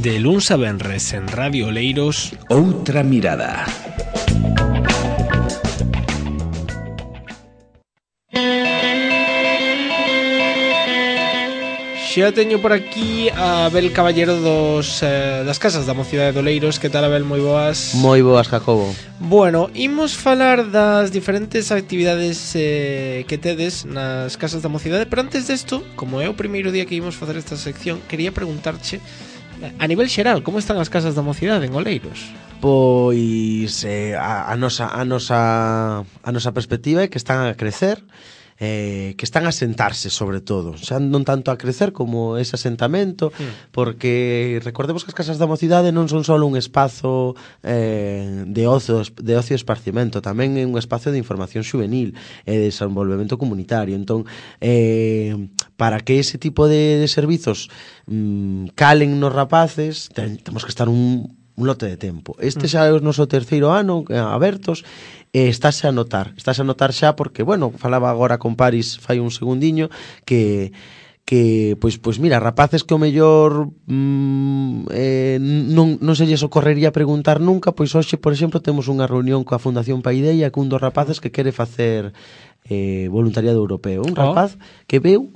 De luns a venres en Radio Oleiros, Outra mirada. Xa teño por aquí a Abel Caballero das Casas da Mocidade de Oleiros. Que tal, Abel? Moi boas. Moi boas, Jacobo. Bueno, imos falar das diferentes actividades que tedes nas Casas da Mocidade. Pero antes desto, como é o primeiro día que imos facer esta sección, quería preguntarche, a nivel xeral, como están as Casas da Mocidade en Oleiros? Pois a nosa perspectiva é que están a crecer, que están a sentarse, sobre todo, xa non tanto a crecer como ese asentamento, porque recordemos que as Casas da Mocidade non son só un espazo de ocio e esparcimento, tamén é un espazo de información xuvenil e de desenvolvemento comunitario. Entón, para que ese tipo de servizos calen nos rapaces, temos que estar un lote de tempo. Este xa é o noso terceiro ano abertos, estáse a notar xa porque, bueno, falaba agora con Paris fai un segundiño que pois mira, rapaces que o mellor non se lles ocorrería preguntar nunca, pois hoxe, por exemplo, temos unha reunión coa Fundación Paideia cun dos rapaces que quere facer voluntariado europeo, un rapaz que veu,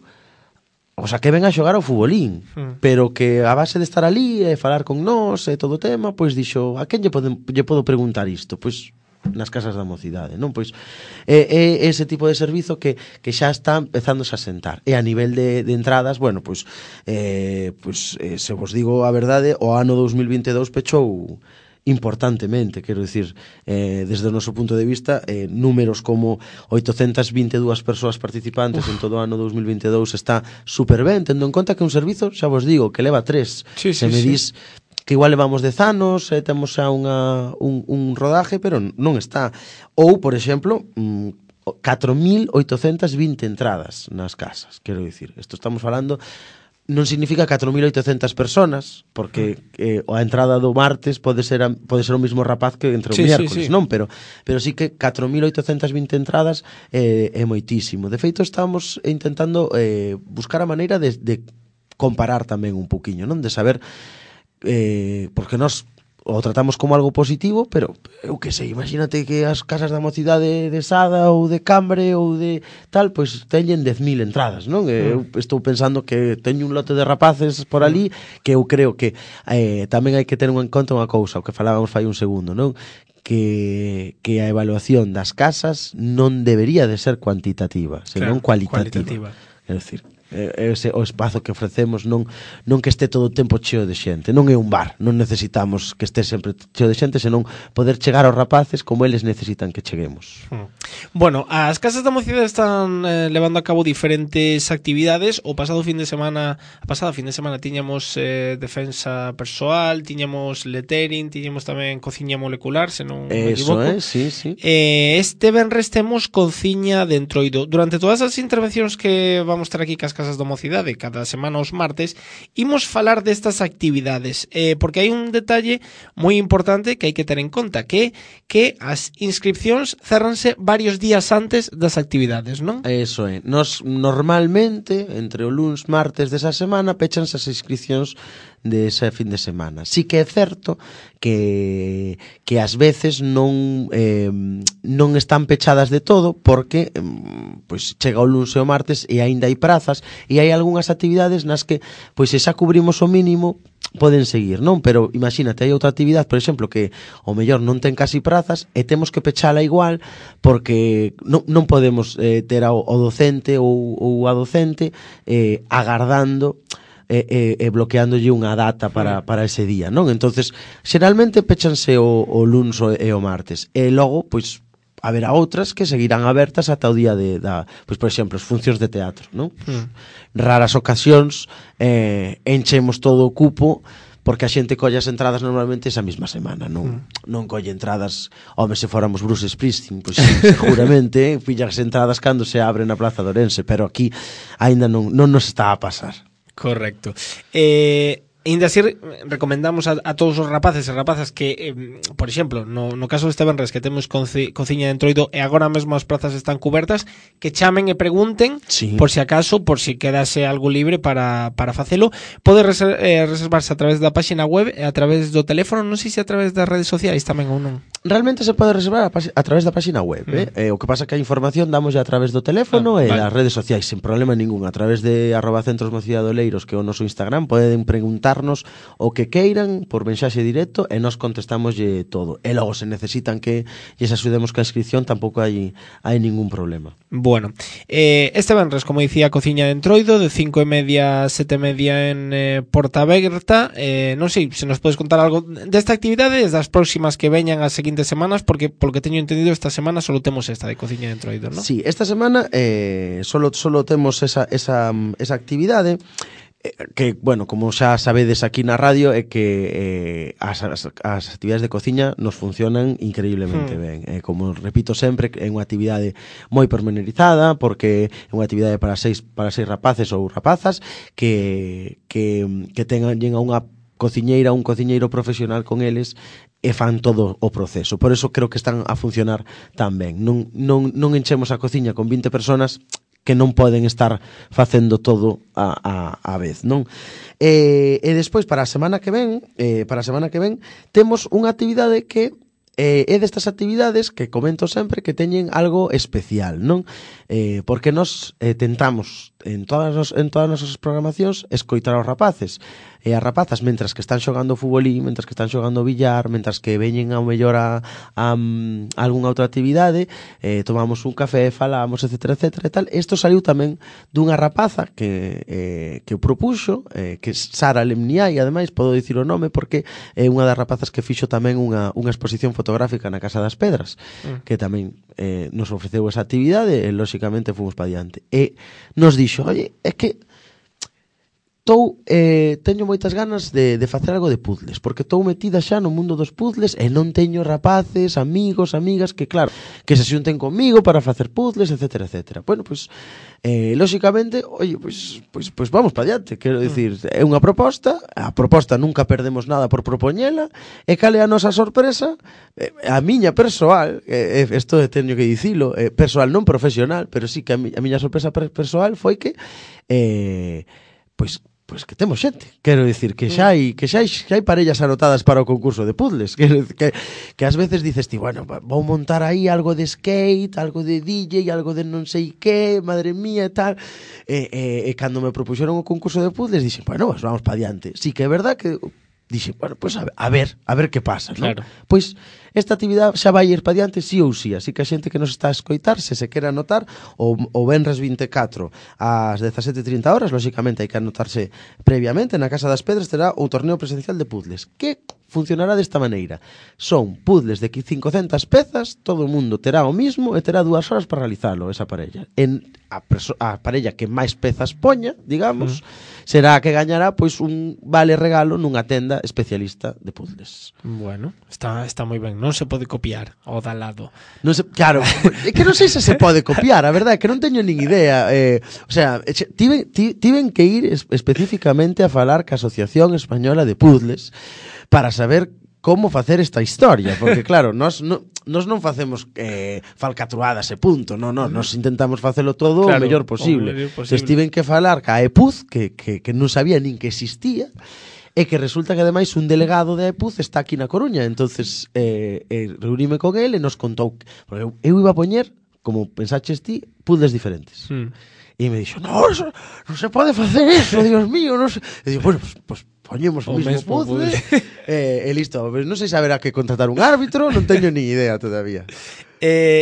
o sea, que ven a xogar ao futbolín, pero que a base de estar ali e falar con nós e todo o tema, pois dixo, a quen lle podo preguntar isto? Pois nas Casas da Mocidade, non? Pois é ese tipo de servizo que xa está empezándose a sentar. E a nivel de entradas, bueno, pois se vos digo a verdade, o ano 2022 pechou importantemente, quero dicir, desde o noso punto de vista, números como 822 persoas participantes en todo o ano 2022 está super ben, tendo en conta que un servizo, xa vos digo, que leva 3. Se me dis que igual levamos 10 anos, temos xa un rodaje, pero non está. Ou, por exemplo, 4.820 entradas nas casas, quero dicir. Isto estamos falando, non significa 4.800 personas, porque a entrada do martes pode ser o mismo rapaz que entre o miércoles, non? Pero sí que 4.820 entradas é moitísimo. De feito, estamos intentando buscar a maneira de comparar tamén un poquinho, non? De saber, porque nós o tratamos como algo positivo, pero eu que sei, imagínate que as Casas da Mocidade de Sada ou de Cambre ou de tal, pois teñen 10.000 entradas, non? Eu estou pensando que teño un lote de rapaces por ali que eu creo que tamén hai que ter en conta unha cousa, o que falábamos fai un segundo, non? Que a evaluación das casas non debería de ser cuantitativa, senón cualitativa. Quero dicir, ese o espazo que ofrecemos non que este todo o tempo cheo de xente, non é un bar, non necesitamos que este sempre cheo de xente, senón poder chegar aos rapaces como eles necesitan que cheguemos. Bueno, as Casas da Mocidade están levando a cabo diferentes actividades. O pasado fin de semana tiñamos defensa persoal, tiñamos lettering, tiñamos tamén cociña molecular, se non me equivoco. Sí. Este venres temos cociña de entroido. Durante todas as intervencións que vamos ter aquí cas Casas da Mocidade cada semana os martes, imos falar destas actividades, porque hai un detalle moi importante que hai que ter en conta, que as inscripcións cerranse varios días antes das actividades, non? Eso é. Nos normalmente, entre o luns martes desa semana, pechanse as inscripcións de ese fin de semana. Sí que é certo que ás veces non están pechadas de todo, porque pois chega o luns e o martes e aínda hai prazas, e hai algunhas actividades nas que, pois se xa cubrimos o mínimo, poden seguir, non? Pero imagínate, hai outra actividade, por exemplo, que o mellor non ten casi prazas e temos que pechala igual porque non podemos ter ao docente ou a docente agardando bloqueándolle unha data para ese día, non? Entonces, xeralmente pechanse o luns e o martes, e logo, pois, haberá outras que seguirán abertas ata o día pois, por exemplo, as funcións de teatro, non? Raras ocasións enchemos todo o cupo, porque a xente colle as entradas normalmente esa mesma semana, non colle entradas, home, se fóramos Bruce Springsteen, pois seguramente pilla as entradas cando se abre na Plaza de Ourense, pero aquí aínda non nos está a pasar. Correcto. Ainda así, recomendamos a todos os rapaces e rapazas que, por exemplo, no caso deste venres que temos cociña de Entroido e agora mesmo as prazas están cubertas, que chamen e pregunten, sí, por si acaso, por si quedase algo libre para facelo. Pode reservarse a través da páxina web e a través do teléfono, non sei se a través das redes sociais tamén ou non. Realmente se pode reservar a través da páxina web, o que pasa que a información damos a través do teléfono e das redes sociais, sen problema ningún. A través de @centros Mocidade Oleiros, que é o noso Instagram, poden preguntarnos o que queiran por mensaxe directo e nós contestamoslle todo. E logo, se necesitan que lles axudemos ca inscripción, tampouco hai ningún problema. Bueno, este venres, como dicía, cociña de Entroido, de 5:30 a 7:30 en Porta Aberta. Non sei se nos podes contar algo desta actividade e das próximas que veñan as seguintes semanas, porque polo que teño entendido esta semana solo temos esta de cociña de Entroido, ¿no? Sí, esta semana solo temos esa actividade que, bueno, como xa sabedes aquí na radio, é que as actividades de cociña nos funcionan increíblemente ben. Como repito sempre, é unha actividade moi pormenorizada, porque é unha actividade para seis rapaces ou rapazas que tengan a unha cociñeira, un cociñeiro profesional con eles e fan todo o proceso. Por eso creo que están a funcionar tan ben. Non enchemos a cociña con 20 personas que non poden estar facendo todo a vez, non? E despois para a semana que ven, temos unha actividade que é destas actividades que comento sempre que teñen algo especial, non? Porque nós tentamos en todas as nosas programacións escoitar aos rapaces e as rapazas mentras que están xogando futbolín, mentras que están xogando billar, mentras que veñen ao mellor a algunha outra actividade, tomamos un café, falamos, etcétera, etcétera e tal. Isto saliu tamén dunha rapaza que o propuxo, que é Sara Lemniai, ademais podo dicir o nome porque é unha das rapazas que fixo tamén unha exposición fotográfica na Casa das Pedras, que tamén nos ofreceu esa actividade e lóxicamente fomos pa diante. E nos dixo, oye, é que teño moitas ganas de facer algo de puzzles, porque estou metida xa no mundo dos puzzles e non teño rapaces, amigos, amigas que, claro, que se xunten comigo para facer puzzles, etcétera, etcétera. Bueno, pois, lóxicamente, oye, pois vamos para diante, quero dicir, é unha proposta, a proposta nunca perdemos nada por propoñela, e cale a nosa sorpresa, a miña persoal, isto teño que dicilo, persoal non profesional, pero sí que a miña sorpresa persoal foi que, pois que temos xente, quero dicir que xa hai parellas anotadas para o concurso de puzzles, que ás veces dices ti, bueno, vou montar aí algo de skate, algo de DJ, algo de non sei que, madre mía e tal, e cando me propuxeron o concurso de puzzles dixen, bueno, pues vamos pa diante. Sí que é verdad que dixen, bueno, pues a ver que pasa, ¿no? Claro. Pois esta actividade xa vai ir pa diante sí ou sí, así que a xente que nos está a escoitar, se quere anotar, o venres 24 ás 17:30 horas, lóxicamente hai que anotarse previamente, na Casa das Pedras terá o torneo presencial de puzzles, que funcionará desta maneira. Son puzzles de 500 pezas, todo o mundo terá o mismo e terá 2 horas para realizalo, esa parella. A parella que máis pezas poña, digamos, será a que gañará pois un vale regalo nunha tenda especialista de puzzles. Bueno, está moi ben, non se pode copiar ao da lado. Non se, claro, é que non sei se pode copiar, a verdade é que non teño nin idea. O sea, tiven que ir especificamente a falar ca Asociación Española de Puzzles para saber como facer esta historia, porque claro, nós non facemos falcatruadas e punto, nós intentamos facelo todo claro, o mellor posible. Entón, tiven que falar ca EPUZ, que non sabía nin que existía, e que resulta que ademais un delegado de EPUZ está aquí na Coruña, entonces reuníme con ele e nos contou, porque eu iba a poñer, como pensaches ti, puzzles diferentes. E me dixo, non se pode facer eso, Dios mío, non se... E digo, bueno, pues poñemos o mismo puzzle e listo, non sei se haberá que contratar un árbitro, non teño ni idea todavía.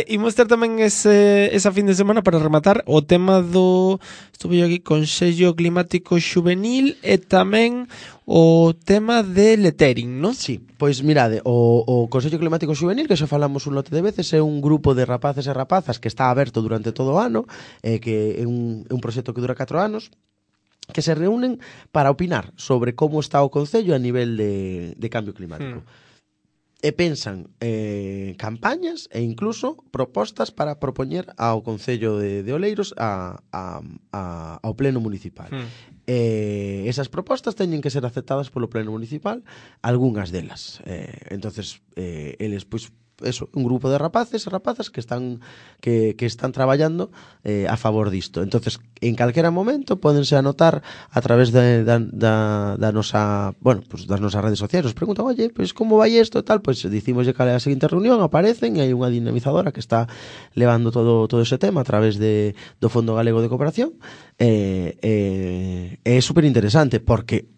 Imos ter tamén esa fin de semana para rematar o tema do estuve aquí Consello Climático Xuvenil e tamén o tema de lettering, non? Sí, pois mirade, o Consello Climático Xuvenil, que xa falamos un lote de veces, é un grupo de rapaces e rapazas que está aberto durante todo o ano, que é un proxecto que dura 4 anos, que se reúnen para opinar sobre como está o Concello a nivel de cambio climático. e pensan campañas e incluso propostas para propoñer ao Concello de Oleiros ao Pleno Municipal. Esas propostas teñen que ser aceptadas polo Pleno Municipal, algunhas delas. Entonces, eles, pois, eso, un grupo de rapaces e rapazas que están traballando a favor disto. Entonces, en calquera momento pódense anotar a través da nosa, bueno, pues das nosas redes sociais. Nos preguntan, oye, pues como vai isto e tal, pues dicimoslle cal é a seguinte reunión, aparecen e hai unha dinamizadora que está levando todo ese tema a través do Fondo Galego de Cooperación. É super interesante porque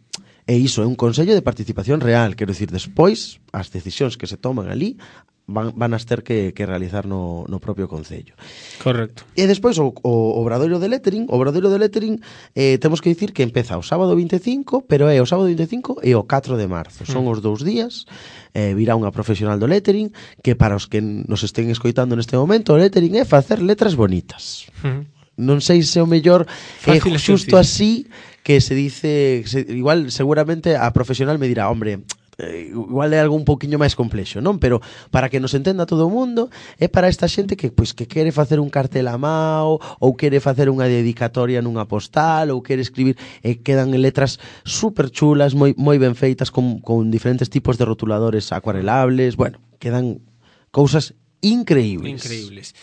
iso é un consello de participación real, quero dicir, despois as decisións que se toman ali van a ter que realizar no propio Concello. Correcto. E despois o Obradoiro de Lettering, temos que dicir que empeza o sábado 25, pero é o sábado 25 e o 4 de marzo. Son os 2 días, virá unha profesional do lettering, que para os que nos estén escoitando neste momento, o lettering é facer letras bonitas. Non sei se o mellor é xusto así que se dice, igual seguramente a profesional me dirá, hombre, igual é algo un poquinho máis complexo, non? Pero para que nos entenda todo o mundo, é para esta xente que quere facer un cartel a mao, ou quere facer unha dedicatoria nunha postal, ou quere escribir, e quedan en letras super chulas, moi ben feitas, con diferentes tipos de rotuladores acuarelables, bueno, quedan cousas increíbles.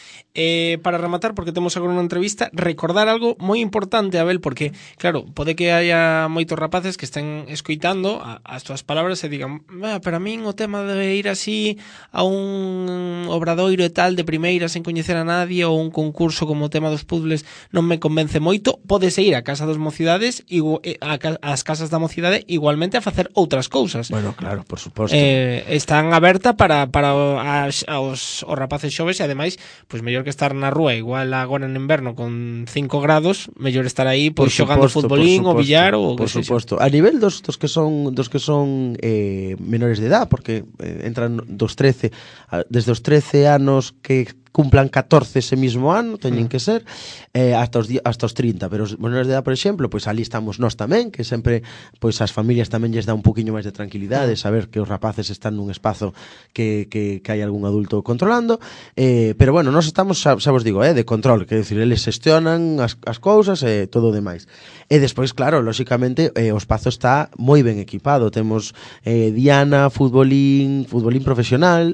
Para rematar, porque temos agora unha entrevista, recordar algo moi importante, Abel, porque, claro, pode que haya moitos rapaces que estén escoitando as túas palabras e digan, pero a min o tema de ir así a un obradoiro e tal de primeira sen coñecer a nadie, ou un concurso como o tema dos puzzles non me convence moito, podese ir a Casa das Mocidades, ás casas da mocidade, igualmente a facer outras cousas. Bueno, claro, por suposto. Están aberta para os rapaces xoves, e ademais, pois mellor que estar na rúa, igual agora en inverno con 5 grados, mellor estar aí pois xogando futbolín ou billar ou por suposto. A nivel dos que son menores de edad, porque entran desde os 13 anos que cumplan 14 ese mismo ano, teñen que ser, hasta os 30, pero os menores de edad, por exemplo, pois ali estamos nós tamén, que sempre, pois as familias tamén lles dá un poquinho máis de tranquilidade, saber que os rapaces están nun espazo que hai algún adulto controlando, pero bueno, nós estamos, xa vos digo, de control, que decir, eles xestionan as cousas e todo o demais. E despois, claro, lóxicamente, o espazo está moi ben equipado, temos diana, futbolín profesional,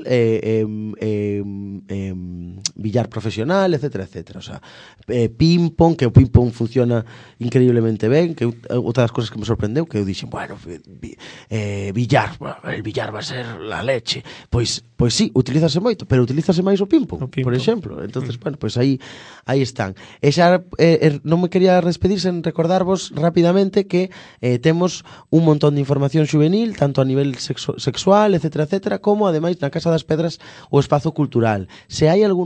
billar profesional, etcétera. O sea, ping-pong, que o ping-pong funciona increíblemente ben, que outra das cousas que me sorprendeu, que eu dixen, bueno, billar, el billar va a ser la leche. Pois sí, utilízase moito, pero utilízase máis o ping-pong, por exemplo. Entonces, bueno, pois aí están. E xa non me quería despedir sen recordarvos rapidamente que temos un montón de información xuvenil, tanto a nivel sexual, etcétera, como ademais na Casa das Pedras o espazo cultural. Se hai algunha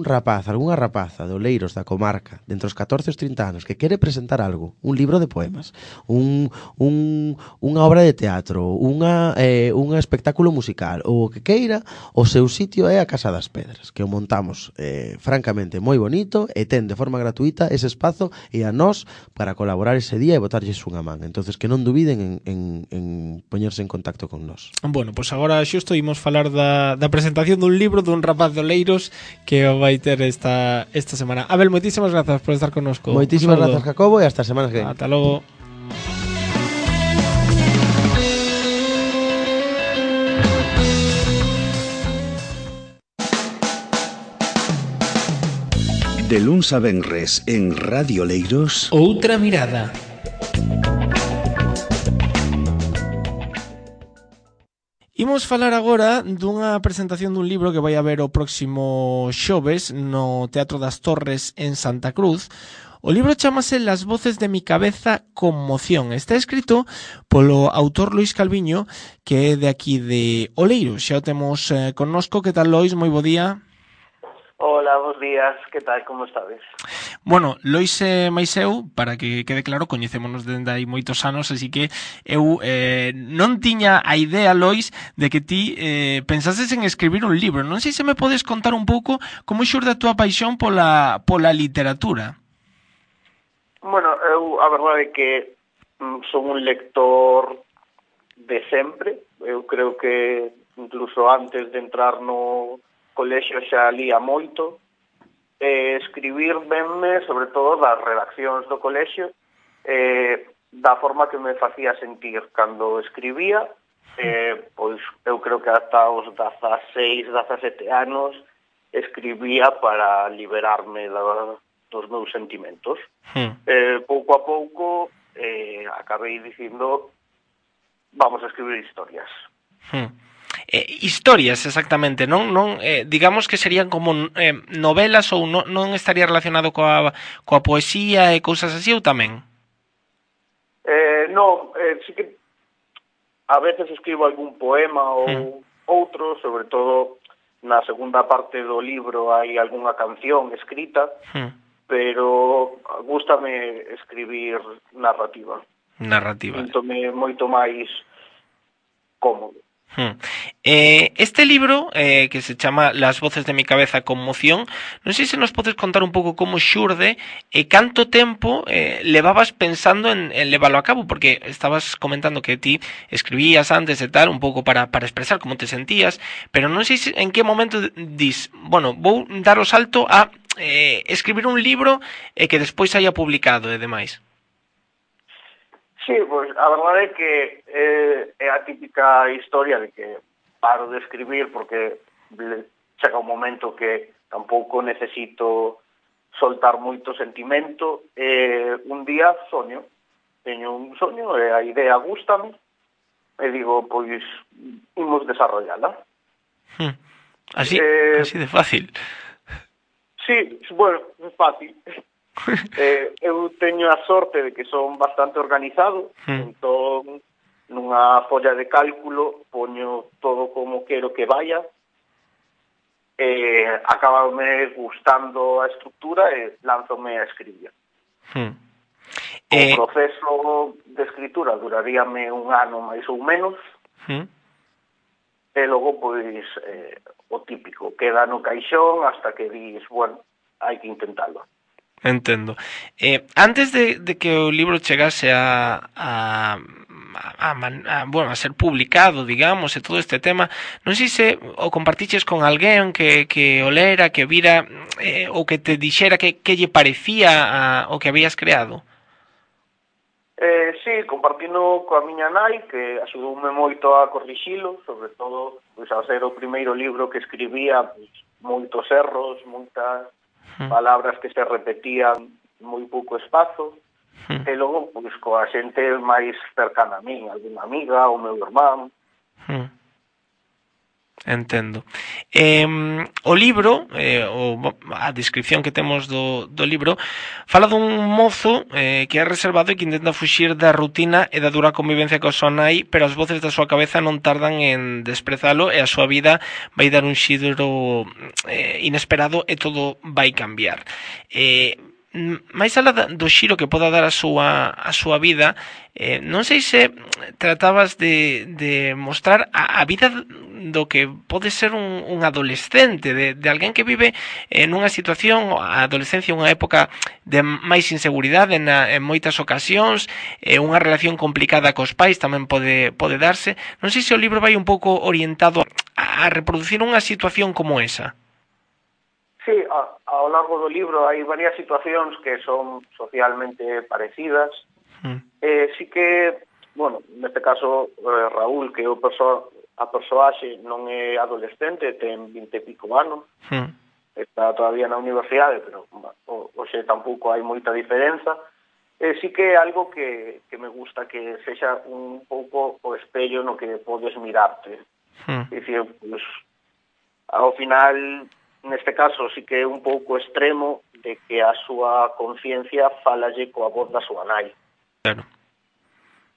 rapaza de Oleiros, da comarca, de entre os 14 e os 30 anos, que quere presentar algo, un libro de poemas, unha obra de teatro, un espectáculo musical, ou o que queira, o seu sitio é a Casa das Pedras, que o montamos francamente moi bonito e ten de forma gratuita ese espazo e a nós para colaborar ese día e botarlles unha man. Entonces que non dubiden en poñerse en contacto con nós. Bueno, pois agora xusto imos falar da presentación dun libro dun rapaz de Oleiros que o vai ter esta semana. Abel, moitísimas grazas por estar connosco. Moitísimas grazas, Jacobo, e hasta a semana que ven. Ata logo. De luns a venres en Radio Oleiros, Outra mirada. Imos falar agora dunha presentación dun libro que vai haber o próximo xoves no Teatro das Torres en Santa Cruz. O libro chamase Las voces de mi cabeza, conmoción. Está escrito polo autor Lois Calviño, que é de aquí de Oleiros. Xa o temos connosco. Que tal, Lois? Moi bo día. Hola, bons días, que tal, como estades? Bueno, Lois e máis eu, para que quede claro, coñecémonos dende hai moitos anos, así que eu non tiña a idea, Lois, de que ti pensases en escribir un libro. Non sei se me podes contar un pouco como xurde a túa paixón pola literatura. Bueno, eu a verdade é que son un lector de sempre. Eu creo que incluso antes de entrar no colexio xa lía moito. Escribir venme, sobre todo, das redaccións do colexio, da forma que me facía sentir cando escribía. Pois eu creo que ata os 16, 17 anos escribía para liberarme dos meus sentimentos. Pouco a pouco acabei dicindo, vamos a escribir historias. Historias, exactamente, non digamos que serían como novelas, ou non estaría relacionado coa poesía e cousas así, ou tamén? Non, sí que a veces escribo algún poema ou outro, sobre todo na segunda parte do libro hai algunha canción escrita, pero gústame escribir narrativa. Síntome moito máis cómodo. Este libro, que se chama Las voces de mi cabeza conmoción, non sei se nos podes contar un pouco como xurde e canto tempo levabas pensando en leválo a cabo, porque estabas comentando que ti escribías antes e tal, un pouco para expresar como te sentías, pero non sei en que momento dis, bueno, vou dar o salto a escribir un libro que despois haya publicado e demais. Sí, pois a verdade é que é a típica historia de que paro de escribir porque chega un momento que tampouco necesito soltar moito sentimento. Un día teño un soño e a idea gústame e digo, pois, imos desarrollala. Así de fácil. Sí, bueno, é fácil. Eu teño a sorte de que son bastante organizado, entón nunha folla de cálculo poño todo como quero que vaya, acabame gustando a estrutura e lánzome a escribir. O proceso de escritura duraríame un ano máis ou menos, e logo, pois, o típico, queda no caixón hasta que dis, bueno, hai que intentalo. Entendo. Antes de que o libro chegase a ser publicado, digamos, e todo este tema, non sei se o compartiches con alguén que o lera, que vira, ou que te dixera que lle parecía o que habías creado. Sí, compartino coa miña nai, que axudoume moito a corrixilo, sobre todo, pois, ao ser o primeiro libro que escribía, pois, moitos erros, moitas palabras que se repetían moi pouco espazo, e logo, pois, coa xente máis cercana a min, alguna amiga, o meu irmán. Entendo. O libro, a descripción que temos do libro, fala dun mozo que é reservado e que intenta fuxir da rutina e da dura convivencia coa súa nai, pero as voces da súa cabeza non tardan en desprezalo e a súa vida vai dar un xiro inesperado e todo vai cambiar. máis alá do xiro que poda dar a súa vida, non sei se tratabas de mostrar a vida do que pode ser un adolescente, de alguén que vive nunha situación, a adolescencia unha época de máis inseguridade en moitas ocasións, unha relación complicada cos pais tamén pode darse. Non sei se o libro vai un pouco orientado a reproducir unha situación como esa. Sí, ao largo do libro hai varias situacións que son socialmente parecidas. Sí que, bueno, neste caso Raúl, que é a persoaxe, non é adolescente, ten 20 e pico anos, está todavía na universidade, pero hoxe tampouco hai moita diferenza. Sí que é algo que me gusta que sexa un pouco o espello no que podes mirarte. Dicir, pues, ao final, neste caso, sí que é un pouco extremo de que a súa conciencia falalle coa voz da súa nai. Claro.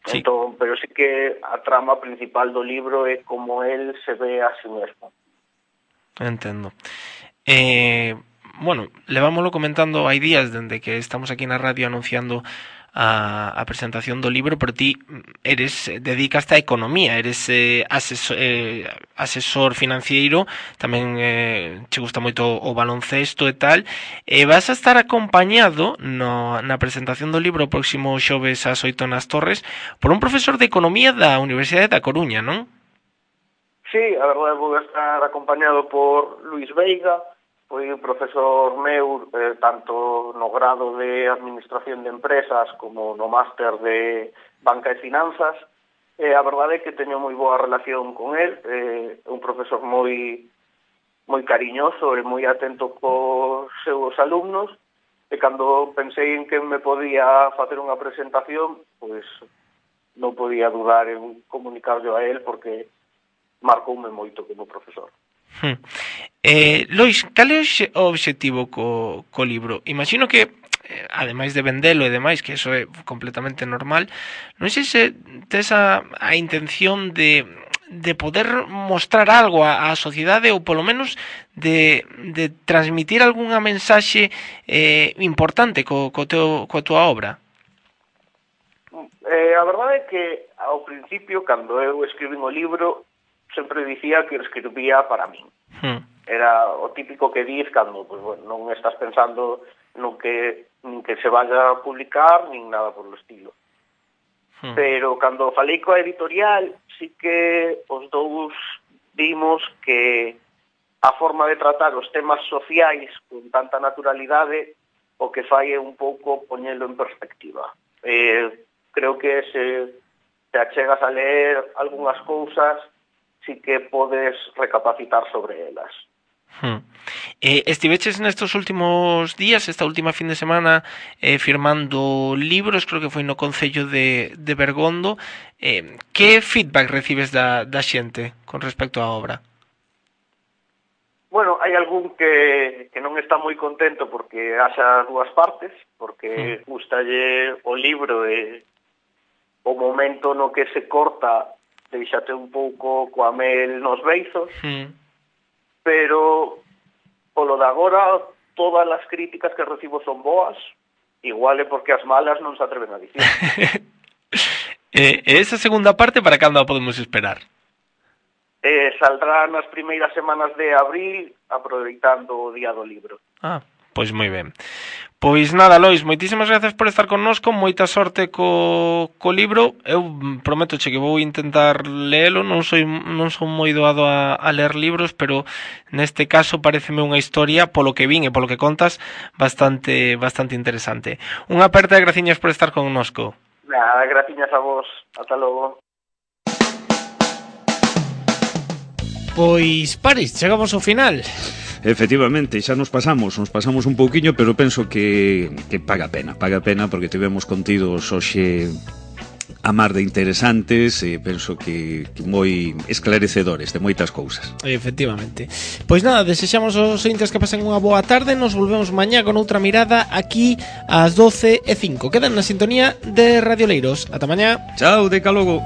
Sí. Entón, pero sí que a trama principal do libro é como él se ve a sí mesmo. Entendo. Bueno, levámoslo comentando hai días dende que estamos aquí na radio anunciando a presentación do libro, pero ti dedicaste a economía, eres asesor financiero, tamén che gusta moito o baloncesto e tal, e vas a estar acompañado na presentación do libro o próximo xoves ás 8 nas Torres por un profesor de economía da Universidade da Coruña, non? Sí, a verdade vou estar acompañado por Luis Veiga, foi un profesor meu tanto no grado de Administración de Empresas como no máster de Banca e Finanzas. A verdade é que teño moi boa relación con el, un profesor moi cariñoso e moi atento cos seus alumnos, e cando pensei en que me podía facer unha presentación, pois non podía dudar en comunicarlo a él porque marcoume moito como profesor. Lois, cal é o obxectivo co libro? Imagino que, ademais de vendelo e demais, que eso é completamente normal, non sei se tes a intención de poder mostrar algo á sociedade ou polo menos de transmitir algunha mensaxe importante coa tua obra. A verdade é que ao principio, cando eu escribín o libro, sempre dicía que escribía para min. Era o típico que diz cando pues, bueno, non estás pensando nin que se vaya a publicar, nin nada por o estilo. Pero cando falei coa editorial, sí que os dous vimos que a forma de tratar os temas sociais con tanta naturalidade o que fai é un pouco poñelo en perspectiva. Creo que se te achegas a ler algunhas cousas, sí que podes recapacitar sobre elas. Estiveches nestos últimos días, esta última fin de semana, firmando libros, creo que foi no Concello de Bergondo. Que feedback recibes da xente con respecto á obra? Bueno, hai algún que non está moi contento porque haxa dúas partes, porque gustalle o libro e o momento no que se corta deixate un pouco coa mel nos beizos, pero polo de agora todas as críticas que recibo son boas, igual é porque as malas non se atreven a dicir. Esa segunda parte para cando a podemos esperar? Saldrá nas primeiras semanas de abril, aproveitando o Día do Libro. Pois moi ben. Pois nada, Lois, moitísimas gracias por estar connosco, moita sorte co libro. Eu prométoche que vou intentar leelo, non son moi doado a ler libros, pero neste caso pareceme unha historia, polo que vin e polo que contas, bastante interesante. Unha aperta e graciñas por estar connosco. Nada, graciñas a vos. Ata logo. Pois, Paris, chegamos ao final. Efectivamente, xa nos pasamos un pouquiño, pero penso que paga pena porque tivemos contidos hoxe a mar de interesantes e penso que moi esclarecedores de moitas cousas. Efectivamente. Pois nada, desexamos aos ointes que pasen unha boa tarde, nos volvemos mañá con outra mirada aquí ás 12:05. Quedan na sintonía de Radio Leiros. Ata mañá. Chao, deca logo.